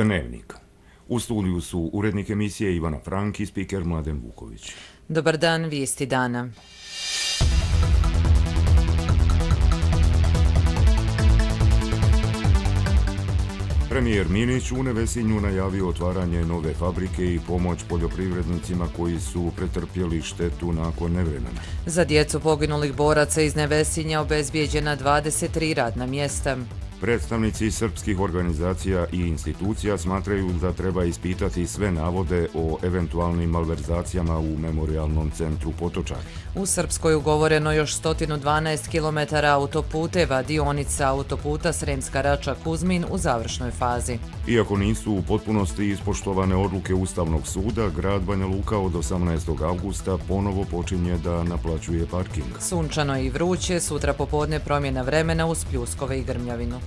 Dnevnik. U studiju su urednik emisije Ivana Frank i spiker Mladen Vuković. Dobar dan, vijesti dana. Premijer Minić u Nevesinju najavio otvaranje nove fabrike i pomoć poljoprivrednicima koji su pretrpjeli štetu nakon nevremena. Za djecu poginulih boraca iz Nevesinja obezbijeđena 23 radna mjesta. Predstavnici srpskih organizacija i institucija smatraju da treba ispitati sve navode o eventualnim malverzacijama u memorialnom centru Potočar. U Srpskoj ugovoreno još 112 km autoputeva, dionica autoputa Sremska Rača-Kuzmin u završnoj fazi. Iako nisu u potpunosti ispoštovane odluke Ustavnog suda, grad Banja Luka od 18. augusta ponovo počinje da naplaćuje parking. Sunčano i vruće, sutra popodne promjena vremena uz pljuskove i grmljavinu.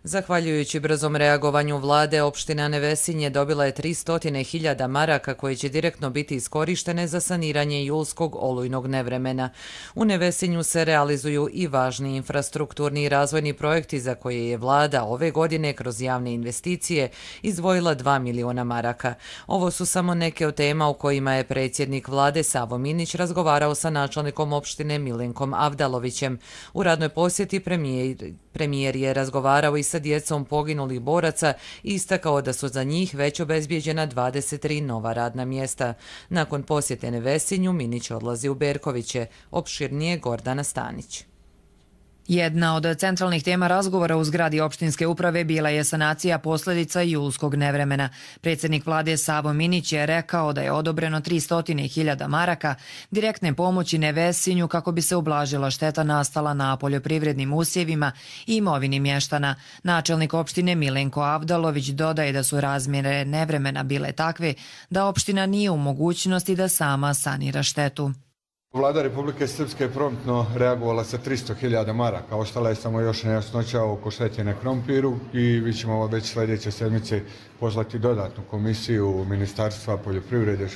Zahvaljujući brzom reagovanju vlade, opština Nevesinje dobila je 300.000 maraka koje će direktno biti iskorištene za saniranje julskog olujnog nevremena. U Nevesinju se realizuju i važni infrastrukturni i razvojni projekti za koje je vlada ove godine kroz javne investicije izdvojila 2 miliona maraka. Ovo su samo neke od tema u kojima je predsjednik vlade Savo Minić razgovarao sa načelnikom opštine Milenkom Avdalovićem. U radnoj posjeti premijer je razgovarao i sa djecom poginulih boraca i istakao da su za njih već obezbijeđena 23 nova radna mjesta. Nakon posjete Nevesinju, Minić odlazi u Berkoviće, opširnije Gordana Stanić. Jedna od centralnih tema razgovora u zgradi opštinske uprave bila je sanacija posljedica julskog nevremena. Predsjednik vlade Savo Minić je rekao da je odobreno 300.000 maraka direktne pomoći Nevesinju kako bi se ublažila šteta nastala na poljoprivrednim usjevima i imovini mještana. Načelnik opštine Milenko Avdalović dodaje da su razmjere nevremena bile takve da opština nije u mogućnosti da sama sanira štetu. Vlada Republike Srpske je promptno reagovala sa 300.000 maraka. Ostala je samo još nejasnoća oko štete na krompiru i vi ćemo već sljedeće sedmice poslati dodatnu komisiju Ministarstva poljoprivrede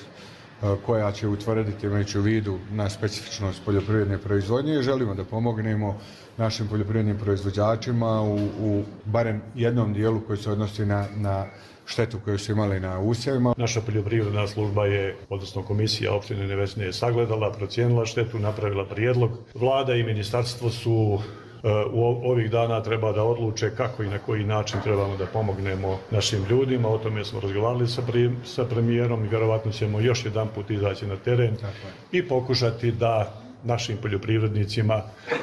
koja će utvrditi, imajući u vidu na specifičnost poljoprivredne proizvodnje, i želimo da pomognemo našim poljoprivrednim proizvođačima u barem jednom dijelu koji se odnosi na štetu koju su imali na usjevima. Naša poljoprivredna služba je, odnosno komisija opštine Nevesinje je sagledala, procijenila štetu, napravila prijedlog. Vlada i ministarstvo su u ovih dana treba da odluče kako i na koji način trebamo da pomognemo našim ljudima. O tome smo razgovarali sa premijerom i vjerovatno ćemo još jedan put izaći na teren i pokušati da našim poljoprivrednicima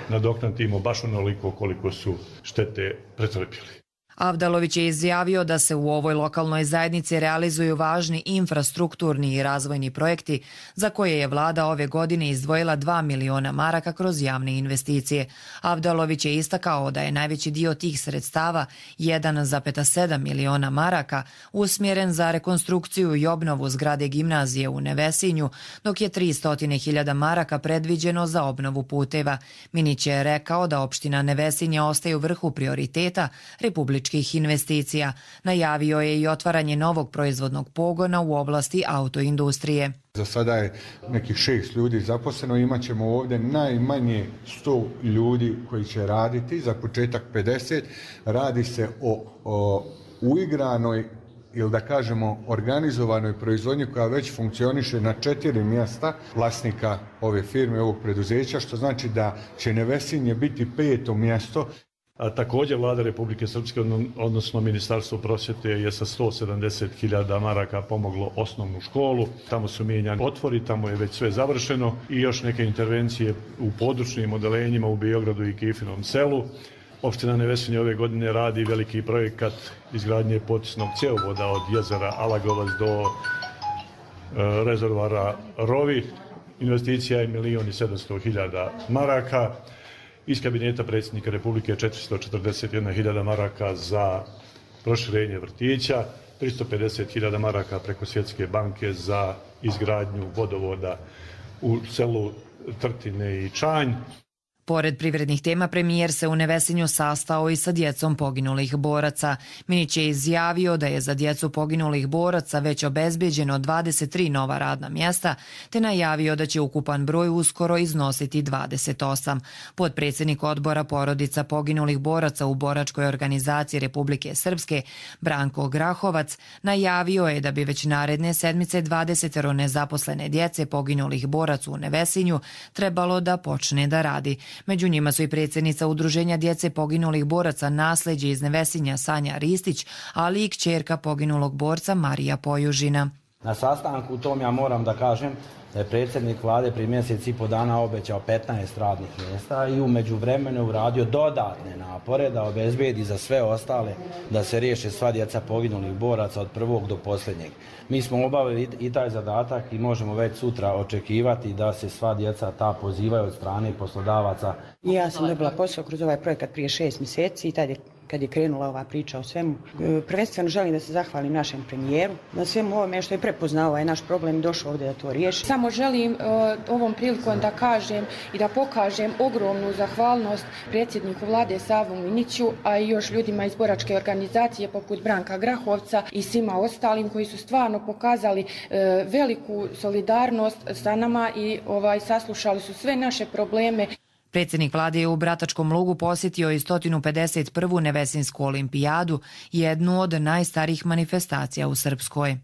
nadoknadimo baš onoliko koliko su štete pretrpjeli. Avdalović je izjavio da se u ovoj lokalnoj zajednici realizuju važni infrastrukturni i razvojni projekti za koje je vlada ove godine izdvojila 2 miliona maraka kroz javne investicije. Avdalović je istakao da je najveći dio tih sredstava, 1,7 miliona maraka, usmjeren za rekonstrukciju i obnovu zgrade gimnazije u Nevesinju, dok je 300.000 maraka predviđeno za obnovu puteva. Minić je rekao da opština Nevesinje ostaje u vrhu prioriteta republičkih investicija. Najavio je i otvaranje novog proizvodnog pogona u oblasti autoindustrije. Za sada je nekih 6 ljudi zaposleno, imat ćemo ovdje najmanje 100 ljudi koji će raditi, za početak 50. Radi se o uigranoj ili da kažemo organizovanoj proizvodnji koja već funkcioniše na 4 mjesta vlasnika ove firme, ovog preduzeća, što znači da će Nevesinje biti 5. mjesto. A također vlada Republike Srpske, odnosno Ministarstvo prosvjete, je sa 170.000 maraka pomoglo osnovnu školu. Tamo su mijenjani otvori, tamo je već sve završeno i još neke intervencije u područnim odelenjima u Beogradu i Kifinom selu. Opština Nevesinje ove godine radi veliki projekat izgradnje potisnog cjevovoda od jezera Alagovac do rezervoara Rovi. Investicija je 1.700.000 maraka. Iz kabineta predsjednika Republike 441.000 maraka za proširenje vrtića, 350.000 maraka preko Svjetske banke za izgradnju vodovoda u selu Trtine i Čanj. Pored privrednih tema, premijer se u Nevesinju sastao i sa djecom poginulih boraca. Minić je izjavio da je za djecu poginulih boraca već obezbeđeno 23 nova radna mjesta, te najavio da će ukupan broj uskoro iznositi 28. Potpredsjednik odbora porodica poginulih boraca u boračkoj organizaciji Republike Srpske, Branko Grahovac, najavio je da bi već naredne sedmice 20 nezaposlene djece poginulih boraca u Nevesinju trebalo da počne da radi. Među njima su i predsjednica Udruženja djece poginulih boraca Nasleđe iz Nevesinja Sanja Ristić, ali i kćerka poginulog borca Marija Pojužina. Na sastanku u tom ja moram da kažem da je predsjednik vlade prije mjesec i po dana obećao 15 radnih mjesta i u međuvremenu uradio dodatne napore da obezbedi za sve ostale da se riješe sva djeca poginulih boraca od prvog do posljednjeg. Mi smo obavili i taj zadatak i možemo već sutra očekivati da se sva djeca ta pozivaju od strane poslodavaca. Ja sam dobila posao kroz ovaj projekat prije 6 mjeseci i tad je kad je krenula ova priča o svemu. Prvenstveno želim da se zahvalim našem premijeru na svemu ovome što je prepoznao ovaj naš problem i došao ovdje da to riješi. Samo želim ovom prilikom da kažem i da pokažem ogromnu zahvalnost predsjedniku vlade Savu Miniću, a i još ljudima iz boračke organizacije poput Branka Grahovca i svima ostalim koji su stvarno pokazali veliku solidarnost sa nama i saslušali su sve naše probleme. Predsjednik vlade je u Bratačkom Lugu posjetio i 151. Nevesinsku olimpijadu, jednu od najstarijih manifestacija u Srpskoj.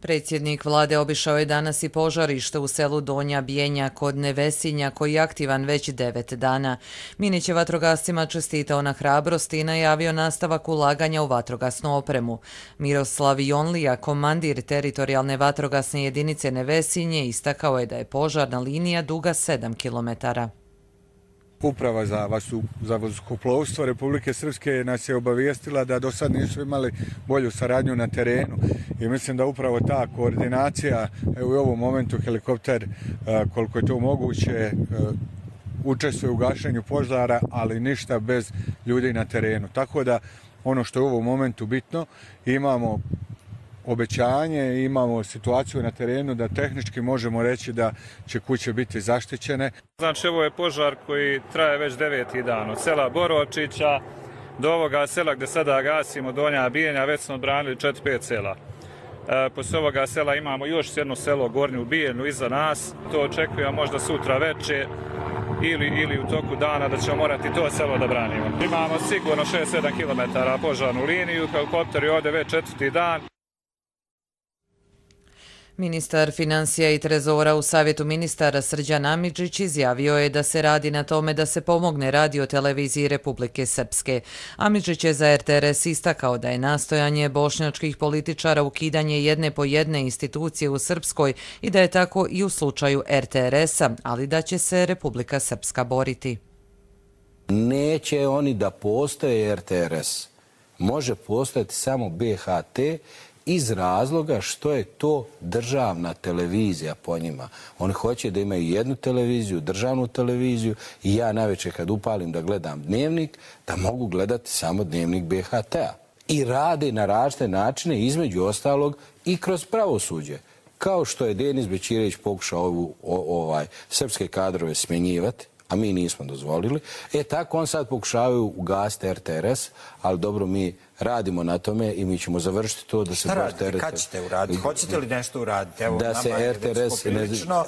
Predsjednik vlade obišao je danas i požarište u selu Donja Bijenja kod Nevesinja koji je aktivan već 9 dana. Minić je vatrogascima čestitao na hrabrosti i najavio nastavak ulaganja u vatrogasnu opremu. Miroslav Jonlija, komandir teritorijalne vatrogasne jedinice Nevesinje, istakao je da je požarna linija duga 7 kilometara. Uprava za vazduhoplovstvo Republike Srpske nas je obavijestila da do sad nisu imali bolju saradnju na terenu i mislim da upravo ta koordinacija, evo u ovom momentu helikopter koliko je to moguće učestvuje u gašenju požara, ali ništa bez ljudi na terenu. Tako da ono što je u ovom momentu bitno, imamo obećanje, imamo situaciju na terenu da tehnički možemo reći da će kuće biti zaštićene. Znači, ovo je požar koji traje već 9. dan. Od sela Boročića do ovoga sela gdje sada gasimo, Donja Bijenja, već smo odbranili 4-5 sela. Poslije ovoga sela imamo još jedno selo, Gornju Bijenju, iza nas. To očekujemo možda sutra veče ili u toku dana da ćemo morati to selo da branimo. Imamo sigurno 6-7 km požarnu liniju, helikopter je ovdje već 4. dan. Ministar financija i trezora u Savjetu ministara Srđan Amidžić izjavio je da se radi na tome da se pomogne radioteleviziji Republike Srpske. Amidžić je za RTRS istakao da je nastojanje bošnjačkih političara ukidanje jedne po jedne institucije u Srpskoj i da je tako i u slučaju RTRS-a, ali da će se Republika Srpska boriti. Neće oni da postoje RTRS. Može postojati samo BHT iz razloga što je to državna televizija po njima. Oni hoće da imaju jednu televiziju, državnu televiziju i ja najveće kad upalim da gledam dnevnik, da mogu gledati samo dnevnik BHT-a. I rade na različite načine, između ostalog i kroz pravosuđe. Kao što je Denis Bećirević pokušao srpske kadrove smjenjivati, a mi nismo dozvolili. Tako on sad pokušavaju ugasiti RTRS, ali dobro, mi radimo na tome i mi ćemo završiti to da se... Šta radite? Kad ćete uraditi? Hoćete li nešto uraditi? Evo, da se RTRS... Poprilično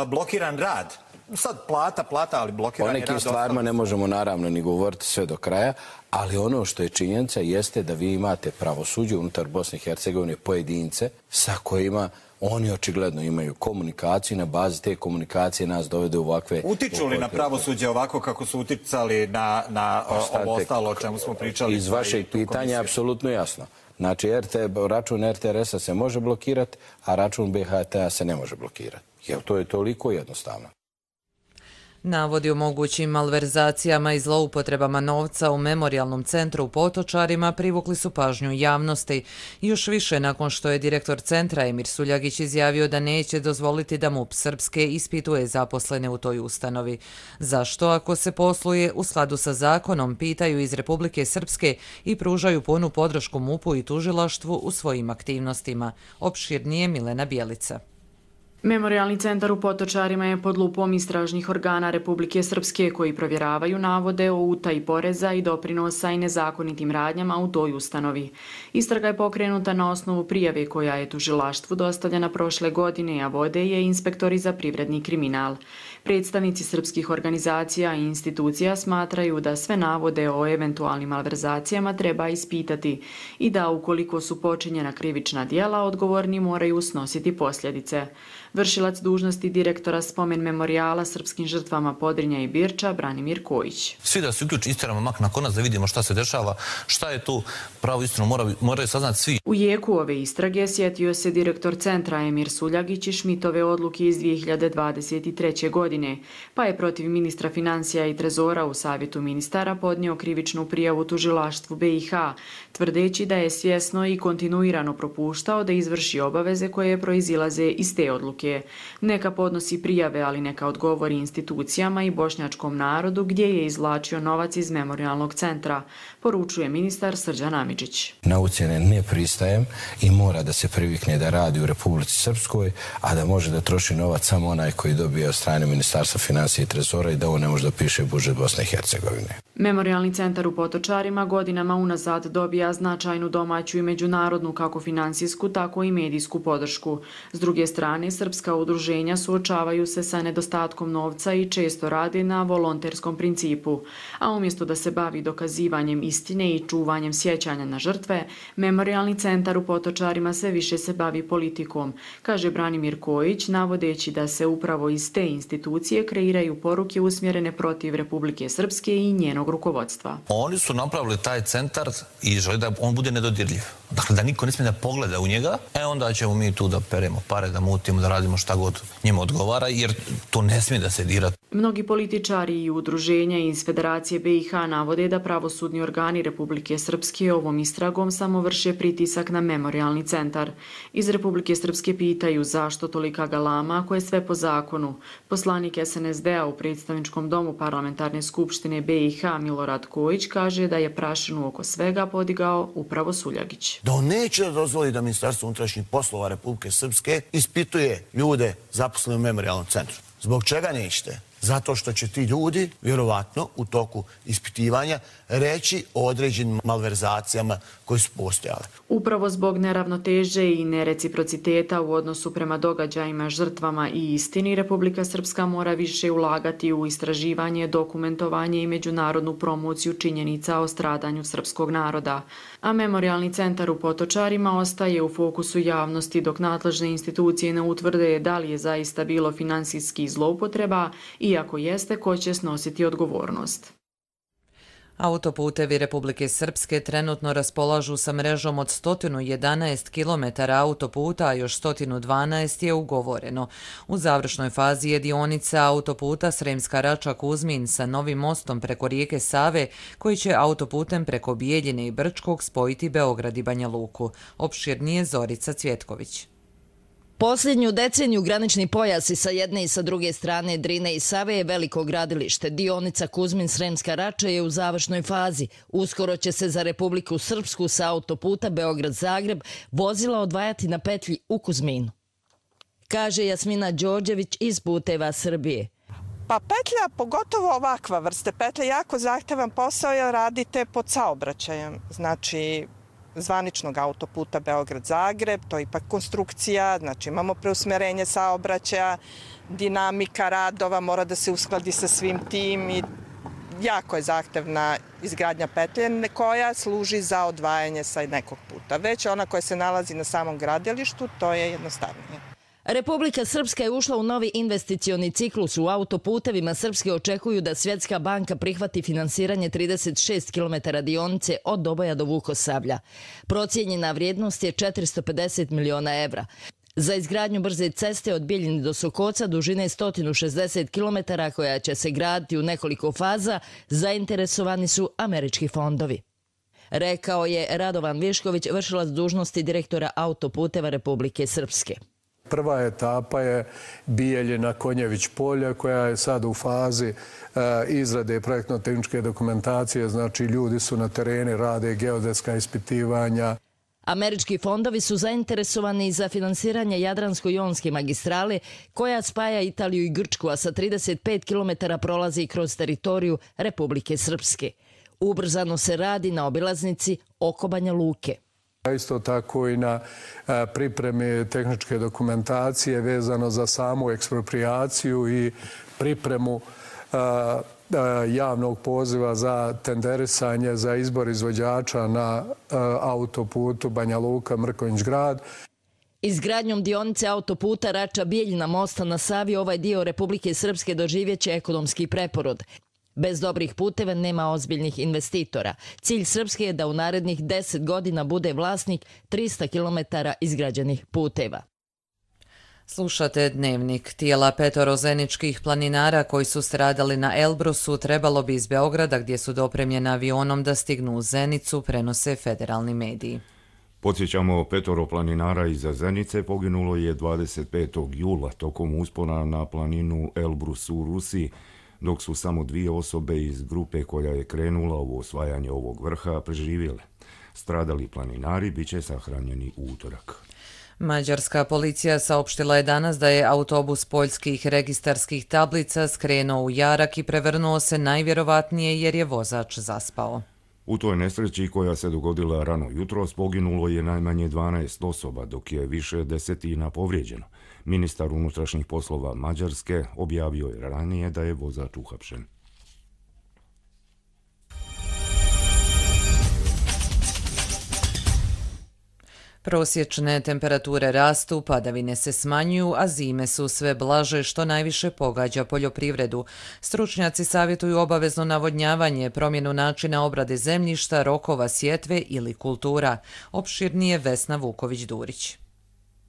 blokiran rad. Sad plata, ali blokiran je rad. O nekim stvarima ne možemo naravno ni govoriti sve do kraja, ali ono što je činjenica jeste da vi imate pravosuđe unutar Bosne i Hercegovine pojedince sa kojima oni očigledno imaju komunikaciju i na bazi te komunikacije nas dovede u ovakve... Utiču li na pravosuđe ovako kako su uticali na ovo ostalo o čemu smo pričali? Iz vašeg pitanja apsolutno jasno. Znači, račun RTRS-a se može blokirati, a račun BHT-a se ne može blokirati. Jer to je toliko jednostavno. Navodi o mogućim malverzacijama i zloupotrebama novca u memorijalnom centru u Potočarima privukli su pažnju javnosti. Još više nakon što je direktor centra Emir Suljagić izjavio da neće dozvoliti da MUP Srpske ispituje zaposlene u toj ustanovi. Zašto, ako se posluje u skladu sa zakonom, pitaju iz Republike Srpske i pružaju punu podršku MUP-u i tužilaštvu u svojim aktivnostima. Opširnije Milena Bjelica. Memorijalni centar u Potočarima je pod lupom istražnih organa Republike Srpske koji provjeravaju navode o utaji poreza i doprinosa i nezakonitim radnjama u toj ustanovi. Istraga je pokrenuta na osnovu prijave koja je tužilaštvu dostavljena prošle godine, a vode je inspektori za privredni kriminal. Predstavnici srpskih organizacija i institucija smatraju da sve navode o eventualnim malverzacijama treba ispitati i da ukoliko su počinjena krivična djela, odgovorni moraju snositi posljedice. Vršilac dužnosti direktora spomen memorijala srpskim žrtvama Podrinja i Birča, Branimir Kojić. Svi da se uključi, istiramo mak na konac da vidimo šta se dešava, šta je tu pravu istinu, moraju saznati svi. U jeku ove istrage sjetio se direktor centra Emir Suljagić i Šmitove odluke iz 2023. godine, pa je protiv ministra financija i trezora u savjetu ministara podnio krivičnu prijavu tužilaštvu BiH, tvrdeći da je svjesno i kontinuirano propuštao da izvrši obaveze koje proizilaze iz te odluke. Neka podnosi prijave, ali neka odgovori institucijama i bošnjačkom narodu gdje je izvlačio novac iz memorijalnog centra, poručuje ministar Srđan Amidžić. Na ucjene ne pristajem i mora da se privikne da radi u Republici Srpskoj, a da može da troši novac samo onaj koji dobije od strane Ministarstva financija i trezora i da on ne može da piše budžet Bosne i Hercegovine. Memorijalni centar u Potočarima godinama unazad dobija značajnu domaću i međunarodnu kako finansijsku, tako i medijsku podršku. S druge strane, srpska udruženja suočavaju se sa nedostatkom novca i često rade na volonterskom principu. A umjesto da se bavi dokazivanjem istine i čuvanjem sjećanja na žrtve, Memorijalni centar u Potočarima sve više se bavi politikom, kaže Branimir Kojić, navodeći da se upravo iz te institucije kreiraju poruke usmjerene protiv Republike Srpske i njenog rukovodstva. Oni su napravili taj centar i žele da on bude nedodirljiv. Dakle, da niko ne smije da pogleda u njega, onda ćemo mi tu da peremo pare, da mutimo, da radimo šta god njima odgovara, jer to ne smije da se dira. Mnogi političari i udruženja iz Federacije BiH navode da pravosudni organi Republike Srpske ovom istragom samo vrše pritisak na Memorijalni centar. Iz Republike Srpske pitaju zašto tolika galama ako je sve po zakonu. Poslanik SNSD-a u predstavničkom domu Parlamentarne skupštine BiH Milorad Kojić kaže da je prašinu oko svega podigao upravo Suljagić. Da on neće dozvoliti da Ministarstvo unutrašnjih poslova Republike Srpske ispituje ljude zaposlene u Memorijalnom centru. Zbog čega nećete? Zato što će ti ljudi, vjerovatno, u toku ispitivanja reći o određenim malverzacijama koje su postojale. Upravo zbog neravnoteže i nereciprociteta u odnosu prema događajima, žrtvama i istini, Republika Srpska mora više ulagati u istraživanje, dokumentovanje i međunarodnu promociju činjenica o stradanju srpskog naroda. A Memorijalni centar u Potočarima ostaje u fokusu javnosti dok nadležne institucije ne utvrde da li je zaista bilo finansijskih zloupotreba i ako jeste, ko će snositi odgovornost. Autoputevi Republike Srpske trenutno raspolažu sa mrežom od 111 km autoputa, a još 112 je ugovoreno. U završnoj fazi je dionica autoputa Sremska Rača-Kuzmin sa novim mostom preko rijeke Save, koji će autoputem preko Bijeljine i Brčkog spojiti Beograd i Banja Luku. Opširnije Zorica Cvjetković. Posljednju deceniju granični pojasi sa jedne i sa druge strane Drine i Save je veliko gradilište. Dionica Kuzmin-Sremska Rača je u završnoj fazi. Uskoro će se za Republiku Srpsku sa autoputa Beograd-Zagreb vozila odvajati na petlji u Kuzminu, kaže Jasmina Đorđević iz Puteva Srbije. Pa petlja, pogotovo ovakva vrste petlja, jako zahtevan posao jer radite pod saobraćajem. Znači, zvaničnog autoputa Beograd-Zagreb, to je ipak konstrukcija, znači imamo preusmjerenje saobraćaja, dinamika radova mora da se uskladi sa svim tim i jako je zahtevna izgradnja petlje koja služi za odvajanje sa nekog puta. Već ona koja se nalazi na samom gradilištu, to je jednostavnije. Republika Srpska je ušla u novi investicioni ciklus. U autoputevima Srpske očekuju da Svjetska banka prihvati finansiranje 36 km dionice od Doboja do Vukosavlja. Procijenjena vrijednost je 450 miliona evra. Za izgradnju brze ceste od Bijeljine do Sokoca dužine 160 km koja će se graditi u nekoliko faza zainteresovani su američki fondovi, rekao je Radovan Višković, vršilac dužnosti direktora autoputeva Republike Srpske. Prva etapa je Bijeljina Konjević polje koja je sad u fazi izrade projektno-tehničke dokumentacije, znači ljudi su na tereni, rade geodetska ispitivanja. Američki fondovi su zainteresovani za finansiranje Jadransko-jonske magistrale koja spaja Italiju i Grčku, a sa 35 km prolazi kroz teritoriju Republike Srpske. Ubrzano se radi na obilaznici oko Banja Luke. Isto tako i na pripremi tehničke dokumentacije vezano za samu eksproprijaciju i pripremu javnog poziva za tenderisanje za izbor izvođača na autoputu Banja Luka-Mrkonjić-Grad. Izgradnjom dionice autoputa Rača-Bijeljina mosta na Savi ovaj dio Republike Srpske doživjeće ekonomski preporod. Bez dobrih puteva nema ozbiljnih investitora. Cilj Srpske je da u narednih 10 godina bude vlasnik 300 km izgrađenih puteva. Slušate Dnevnik. Tijela 5 zeničkih planinara koji su stradali na Elbrusu trebalo bi iz Beograda, gdje su dopremljeni avionom, da stignu u Zenicu, prenose federalni mediji. Podsjećamo, 5 planinara iza Zenice poginulo je 25. jula tokom uspona na planinu Elbrus u Rusiji, dok su samo 2 osobe iz grupe koja je krenula u osvajanje ovog vrha preživjele. Stradali planinari bit će sahranjeni u utorak. Mađarska policija saopštila je danas da je autobus poljskih registarskih tablica skrenuo u jarak i prevrnuo se najvjerovatnije jer je vozač zaspao. U toj nesreći koja se dogodila rano jutros poginulo je najmanje 12 osoba, dok je više desetina povrijeđeno. Ministar unutrašnjih poslova Mađarske objavio je ranije da je vozač uhapšen. Prosječne temperature rastu, padavine se smanjuju, a zime su sve blaže, što najviše pogađa poljoprivredu. Stručnjaci savjetuju obavezno navodnjavanje, promjenu načina obrade zemljišta, rokova sjetve ili kultura. Opširnije Vesna Vuković-Durić.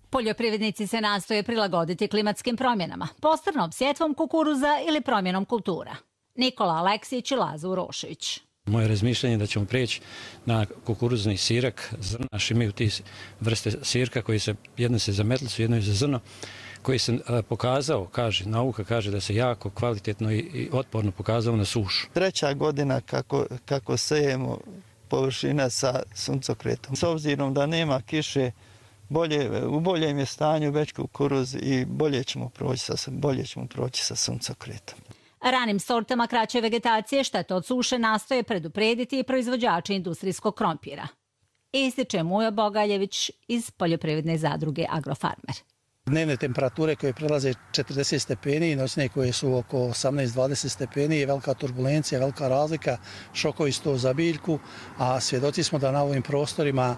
Poljoprivrednici se nastoje prilagoditi klimatskim promjenama, posebno sjetvom kukuruza ili promjenom kultura. Nikola Aleksić i Laza Urošević. Moje razmišljanje je da ćemo prijeći na kukuruzni sirak. Zrnaš imaju ti vrste sirka koji se, jedno se za metlicu, jedno je za zrno, koji se pokazao, nauka kaže da se jako kvalitetno i otporno pokazao na sušu. 3. godina kako sejemo površina sa suncokretom. S obzirom da nema kiše, u boljem je stanju već kukuruz i bolje ćemo proći sa suncokretom. Ranim sortama kraće vegetacije štete od suše nastoje preduprediti i proizvođači industrijskog krompira. Ističe Mujo Bogaljević iz poljoprivredne zadruge Agrofarmer. Dnevne temperature koje prelaze 40 stepeni i noćne koje su oko 18-20 stepeni je velika turbulencija, velika razlika, šokovi su to za biljku, a svjedoci smo da na ovim prostorima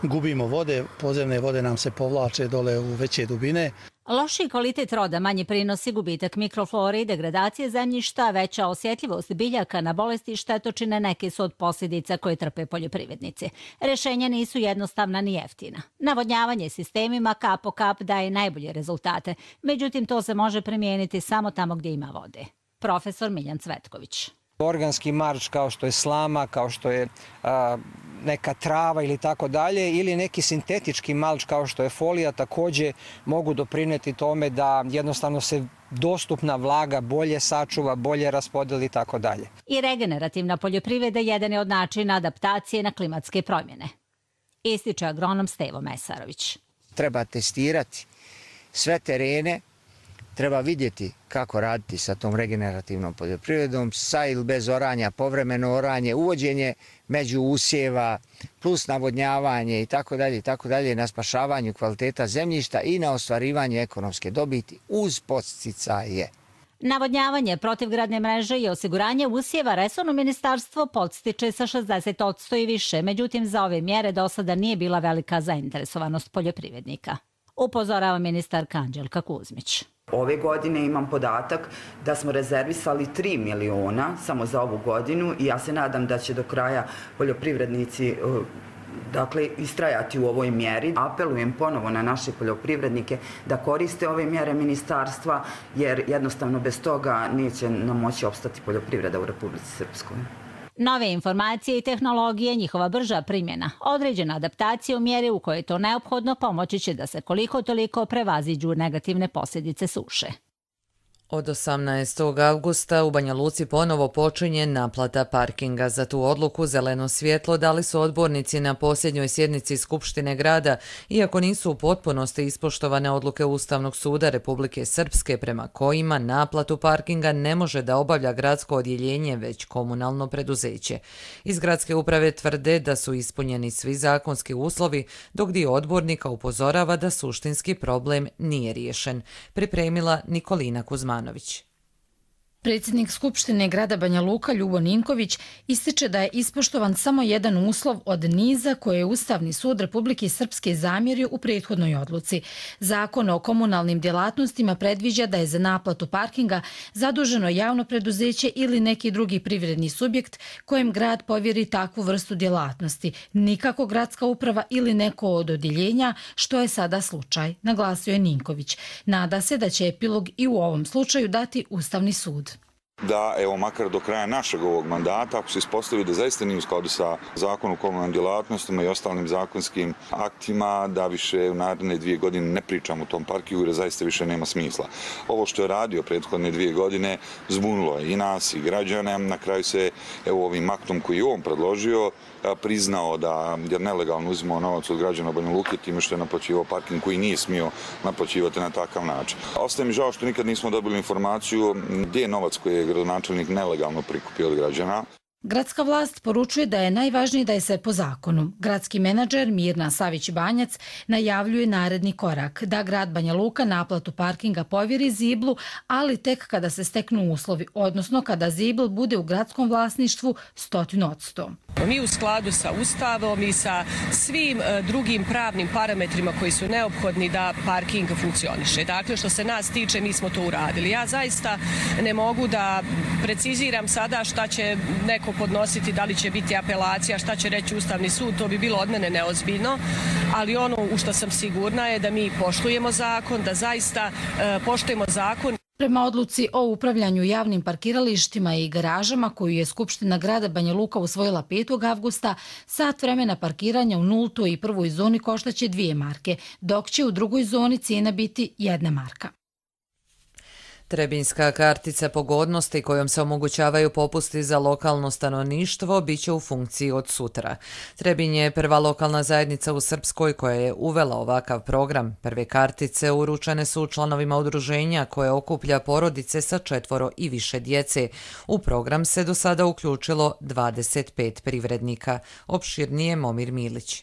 gubimo vode, podzemne vode nam se povlače dole u veće dubine. Loši kvalitet roda, manji prinosi, gubitak mikroflore i degradacije zemljišta, veća osjetljivost biljaka na bolesti i štetočine neke su od posljedica koje trpe poljoprivrednici. Rješenja nisu jednostavna ni jeftina. Navodnjavanje sistemima kap po kap daje najbolje rezultate, međutim to se može primijeniti samo tamo gdje ima vode. Profesor Miljan Cvetković. Organski marč kao što je slama, kao što je neka trava ili tako dalje, ili neki sintetički malč kao što je folija također mogu doprinijeti tome da jednostavno se dostupna vlaga bolje sačuva, bolje raspodeli i tako dalje. I regenerativna poljoprivreda jedan je od načina adaptacije na klimatske promjene. Ističe agronom Stevo Mesarović. Treba testirati sve terene, treba vidjeti kako raditi sa tom regenerativnom poljoprivredom, sa ili bez oranja, povremeno oranje, uvođenje među usjeva, plus navodnjavanje i tako dalje, na spašavanju kvaliteta zemljišta i na ostvarivanje ekonomske dobiti uz podsticaje. Navodnjavanje protivgradne mreže i osiguranje usjeva resorno ministarstvo podstiče sa 60% i više, međutim za ove mjere do sada nije bila velika zainteresovanost poljoprivrednika. Upozorava ministarka Anđelka Kuzmić. Ove godine imam podatak da smo rezervisali 3 miliona samo za ovu godinu i ja se nadam da će do kraja poljoprivrednici istrajati u ovoj mjeri. Apelujem ponovo na naše poljoprivrednike da koriste ove mjere ministarstva jer jednostavno bez toga neće nam moći opstati poljoprivreda u Republici Srpskoj. Nove informacije i tehnologije, njihova brža primjena, određena adaptacija u mjeri u kojoj je to neophodno pomoći će da se koliko toliko prevaziđu negativne posljedice suše. Od 18. avgusta u Banja Luci ponovo počinje naplata parkinga. Za tu odluku zeleno svjetlo dali su odbornici na posljednjoj sjednici Skupštine grada, iako nisu u potpunosti ispoštovane odluke Ustavnog suda Republike Srpske prema kojima naplatu parkinga ne može da obavlja gradsko odjeljenje, već komunalno preduzeće. Iz gradske uprave tvrde da su ispunjeni svi zakonski uslovi, dok dio odbornika upozorava da suštinski problem nije riješen. Pripremila Nikolina Kuzmanović. Predsjednik Skupštine grada Banja Luka Ljubo Ninković ističe da je ispoštovan samo jedan uslov od niza koje je Ustavni sud Republike Srpske zamjerio u prethodnoj odluci. Zakon o komunalnim djelatnostima predviđa da je za naplatu parkinga zaduženo javno preduzeće ili neki drugi privredni subjekt kojem grad povjeri takvu vrstu djelatnosti, nikako gradska uprava ili neko od odjeljenja, što je sada slučaj, naglasio je Ninković. Nada se da će epilog i u ovom slučaju dati Ustavni sud. Da, evo, makar do kraja našeg ovog mandata, ako se ispostavi da zaista nije u skladu sa zakonom o komunalnim djelatnostima i ostalim zakonskim aktima, da više u naredne 2 godine ne pričamo o tom parkingu jer zaista više nema smisla. Ovo što je radio prethodne 2 godine zbunilo je i nas i građane. Na kraju se, evo, ovim aktom koji je on predložio, priznao da je nelegalno uzimao novac od građana Banja Luke time što je naplaćivao parking koji nije smio naplaćivati na takav način. Ostaje mi žao što nikad nismo dobili informaciju gdje je novac koji je gradonačelnik nelegalno prikupio od građana. Gradska vlast poručuje da je najvažnije da je sve po zakonu. Gradski menadžer Mirna Savić-Banjac najavljuje naredni korak, da grad Banja Luka naplatu parkinga povjeri Ziblu, ali tek kada se steknu uslovi, odnosno kada Zibl bude u gradskom vlasništvu 100%. Mi u skladu sa Ustavom i sa svim drugim pravnim parametrima koji su neophodni da parking funkcioniše. Dakle, što se nas tiče, mi smo to uradili. Ja zaista ne mogu da preciziram sada šta će neko podnositi, da li će biti apelacija, šta će reći Ustavni sud, to bi bilo od mene neozbiljno, ali ono u što sam sigurna je da mi poštujemo zakon, da zaista poštujemo zakon. Prema odluci o upravljanju javnim parkiralištima i garažama koju je Skupština grada Banja Luka usvojila 5. avgusta, sat vremena parkiranja u 0. i 1. zoni koštaće 2 marke, dok će u 2. zoni cijena biti 1 marka. Trebinjska kartica pogodnosti kojom se omogućavaju popusti za lokalno stanovništvo bit će u funkciji od sutra. Trebinj je prva lokalna zajednica u Srpskoj koja je uvela ovakav program. Prve kartice uručene su članovima udruženja koje okuplja porodice sa 4 i više djece. U program se do sada uključilo 25 privrednika. Opširnije Momir Milić.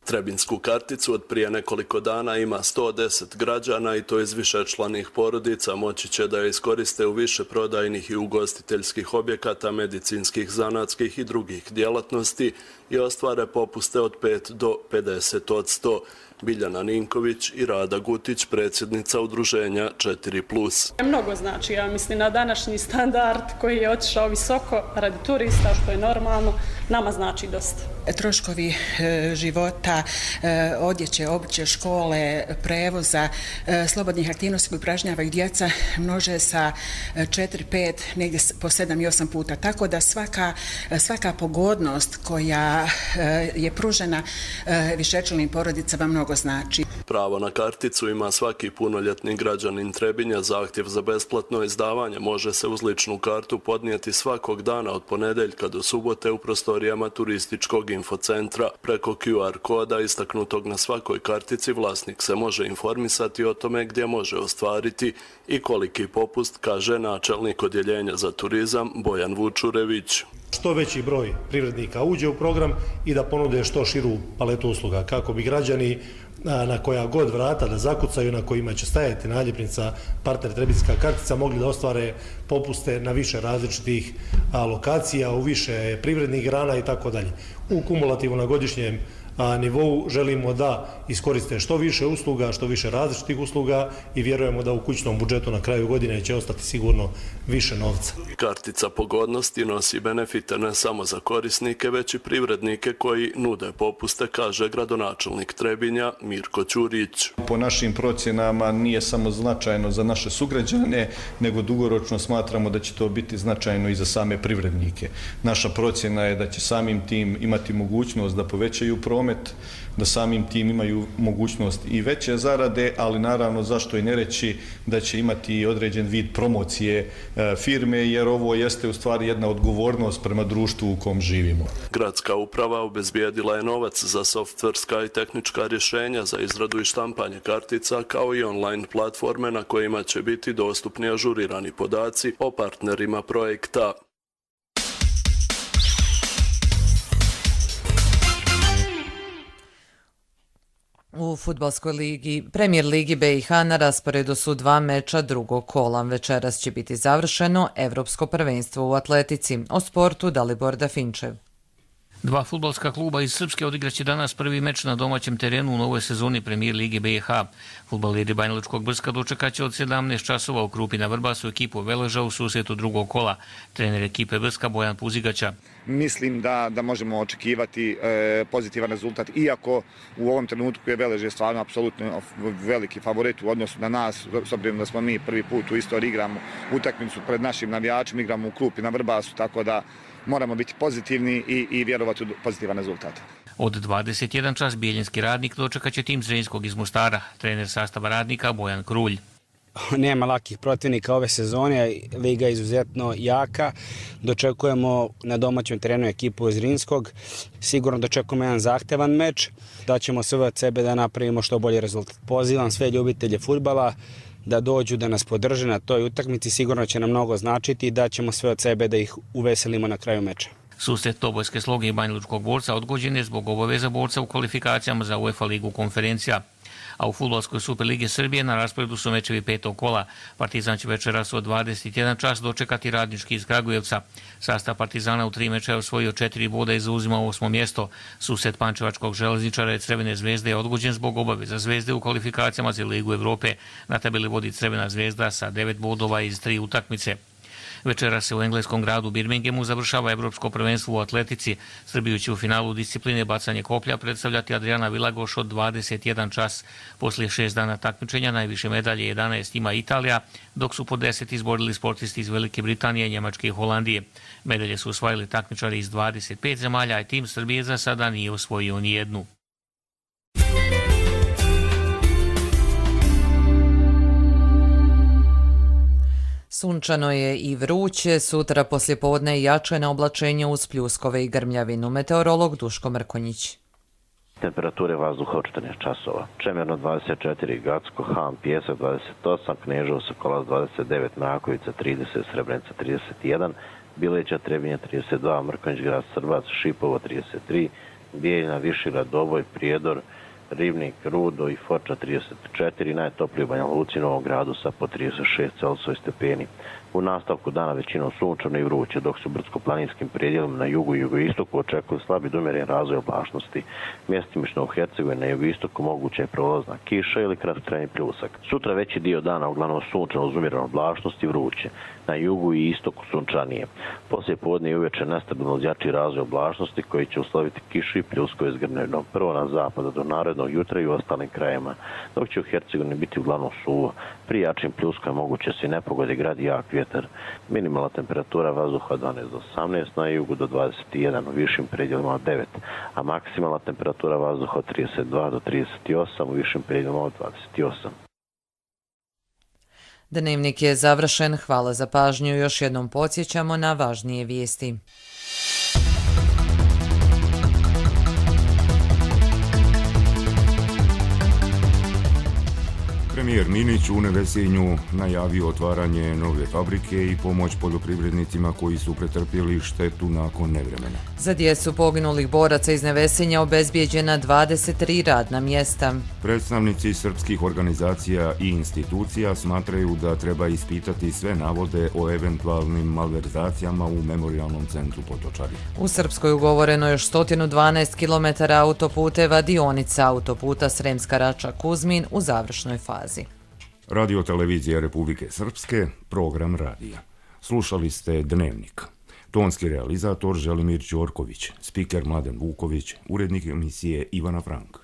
Trebinsku karticu od prije nekoliko dana ima 110 građana i to iz višečlanih porodica moći će da je iskoriste u više prodajnih i ugostiteljskih objekata, medicinskih, zanatskih i drugih djelatnosti i ostvare popuste od 5 do 50%. Biljana Ninković i Rada Gutić, predsjednica udruženja 4+. Mnogo znači, ja mislim, na današnji standard koji je otišao visoko radi turista, što je normalno, nama znači dosta. Troškovi života, odjeće, obuće, škole, prevoza, slobodnih aktivnosti koje upražnjavaju djeca množe sa 4, 5, negdje po 7 i 8 puta. Tako da svaka pogodnost koja je pružena višečlanim porodicama mnogo znači. Pravo na karticu ima svaki punoljetni građanin Trebinja. Zahtjev za besplatno izdavanje može se uz ličnu kartu podnijeti svakog dana od ponedeljka do subote u prostorijama turističkog infocentra. Preko QR koda istaknutog na svakoj kartici vlasnik se može informisati o tome gdje može ostvariti i koliki popust, kaže načelnik odjeljenja za turizam Bojan Vučurević. Što veći broj privrednika uđe u program i da ponude što širu paletu usluga kako bi građani na koja god vrata da zakucaju, na kojima će stajati naljepnica partner Trebinjska kartica, mogli da ostvare popuste na više različitih lokacija, u više privrednih grana i tako dalje. U kumulativu na godišnjem nivou želimo da iskoriste što više usluga, što više različitih usluga i vjerujemo da u kućnom budžetu na kraju godine će ostati sigurno više novca. Kartica pogodnosti nosi benefite ne samo za korisnike, već i privrednike koji nude popuste, kaže gradonačelnik Trebinja Mirko Ćurić. Po našim procjenama nije samo značajno za naše sugrađane, nego dugoročno smatramo da će to biti značajno i za same privrednike. Naša procjena je da će samim tim imati mogućnost da povećaju promet promet, da samim tim imaju mogućnost i veće zarade, ali naravno zašto i ne reći da će imati određen vid promocije firme, jer ovo jeste u stvari jedna odgovornost prema društvu u kom živimo. Gradska uprava obezbijedila je novac za softverska i tehnička rješenja za izradu i štampanje kartica, kao i online platforme na kojima će biti dostupni ažurirani podaci o partnerima projekta. U fudbalskoj ligi, Premier ligi BiH na rasporedu su 2 meča drugog kola. Večeras će biti završeno Evropsko prvenstvo u atletici. O sportu Dalibor Dafinčev. Dva fudbalska kluba iz Srpske odigraće danas prvi meč na domaćem terenu u novoj sezoni Premier lige BiH. Fudbaleri Banjalučkog Brska dočekaće od 17 časova u Krupi na Vrbasu ekipu Veleža u susretu drugog kola. Trener ekipe Brska Bojan Puzigaća. Mislim da možemo očekivati pozitivan rezultat, iako u ovom trenutku je Velež stvarno apsolutno veliki favorit u odnosu na nas, s obzirom da smo mi prvi put u istoriji igramo utakmicu pred našim navijačima, igramo u Krupi na Vrbasu, tako da moramo biti pozitivni i vjerovati u pozitivan rezultat. Od 21 čas Bijeljinski Radnik dočekaće tim Zrenjskog iz Mostara. Trener sastava Radnika Bojan Krulj. Nema lakih protivnika ove sezone, liga je izuzetno jaka. Dočekujemo na domaćem terenu ekipu Zrinskog. Sigurno dočekujemo jedan zahtevan meč, da ćemo sve od sebe da napravimo što bolji rezultat. Pozivam sve ljubitelje fudbala da dođu da nas podrže na toj utakmici, sigurno će nam mnogo značiti i da ćemo sve od sebe da ih uveselimo na kraju meča. Susret Tobojske Sloge i Banjalučkog Borca odgođen je zbog obaveza borca u kvalifikacijama za UEFA ligu konferencija. A u fudbalskoj Superligi Srbije na rasporedu su mečevi petog kola. Partizan će večeras od 21 čas dočekati Radnički iz Kragujevca. Sastav Partizana u 3 meča je osvojio 4 boda i zauzimao 8. mjesto. Susret Pančevačkog železničara i Crvene zvezde je odgođen zbog obaveza Zvezde u kvalifikacijama za Ligu Evrope. Na tabeli vodi Crvena zvezda sa 9 bodova iz 3 utakmice. Večera se u engleskom gradu Birminghamu završava Evropsko prvenstvo u atletici. Srbiju će u finalu discipline bacanje koplja predstavljati Adriana Vilagoš od 21 čas. Poslije 6 dana takmičenja najviše medalje 11 ima Italija, dok su po 10 izborili sportisti iz Velike Britanije, Njemačke i Holandije. Medalje su osvojili takmičari iz 25 zemalja, a tim Srbije za sada nije osvojio ni jednu. Sunčano je i vruće, sutra poslijepodne jače na oblačenje uz pljuskove i grmljavinu. Meteorolog Duško Mrkonjić. Temperature vazduha od 14 časova. Čemerno 24, Gacko, Ham, Pjesak 28, Kneževo, Sokolac 29, Mrakovica 30, Srebrenica 31, Bileća, Trebinje 32, Mrkonjić, Grad Srbac, Šipovo 33, Bijeljina, Višegrad, Doboj, Prijedor, Ribnik, Rudo i Foča 34, najtopliji u Banja Luci, Novom Gradu sa po 36 Celsius stepeni. U nastavku dana većinom sunčano i vruće, dok su brdsko-planinskim predjelima na jugu i jugoistoku očekuju slabi do umjeren razvoj oblačnosti. Mjestimično u Hercegovini na jugoistoku moguća je prolazna kiša ili kratkotrajni pljusak. Sutra veći dio dana uglavnom sunčano uz umjerenu oblačnost i vruće. Na jugu i istoku sunčanije. Poslije podne i uveče nestabilno uz jači razvoj oblačnosti koji će usloviti kišu i pljuskove s grmljavinom. Prvo na zapada do narednog jutra i u ostalim krajima, dok će u Hercegovini biti uglavnom suvo. Pri jačim pljuskovima moguće se i nepogode, grad i jak vjetar. Minimalna temperatura vazduha 12 do 18, na jugu do 21, u višim predjelima od 9, a maksimalna temperatura vazduha od 32 do 38, u višim predjelima od 28. Dnevnik je završen. Hvala za pažnju. Još jednom podsjećamo na važnije vijesti. Premijer Minić u Nevesinju najavio otvaranje nove fabrike i pomoć poljoprivrednicima koji su pretrpjeli štetu nakon nevremena. Za djecu poginulih boraca iz Nevesinja obezbijeđena 23 radna mjesta. Predstavnici srpskih organizacija i institucija smatraju da treba ispitati sve navode o eventualnim malverzacijama u Memorijalnom centru Potočari. U Srpskoj ugovoreno još 112 km autoputeva, dionica autoputa Sremska Rača-Kuzmin u završnoj fazi. Radio televizija Republike Srpske, program radija. Slušali ste Dnevnik. Tonski realizator Želimir Đorković, spiker Mladen Vuković, urednik emisije Ivana Frank.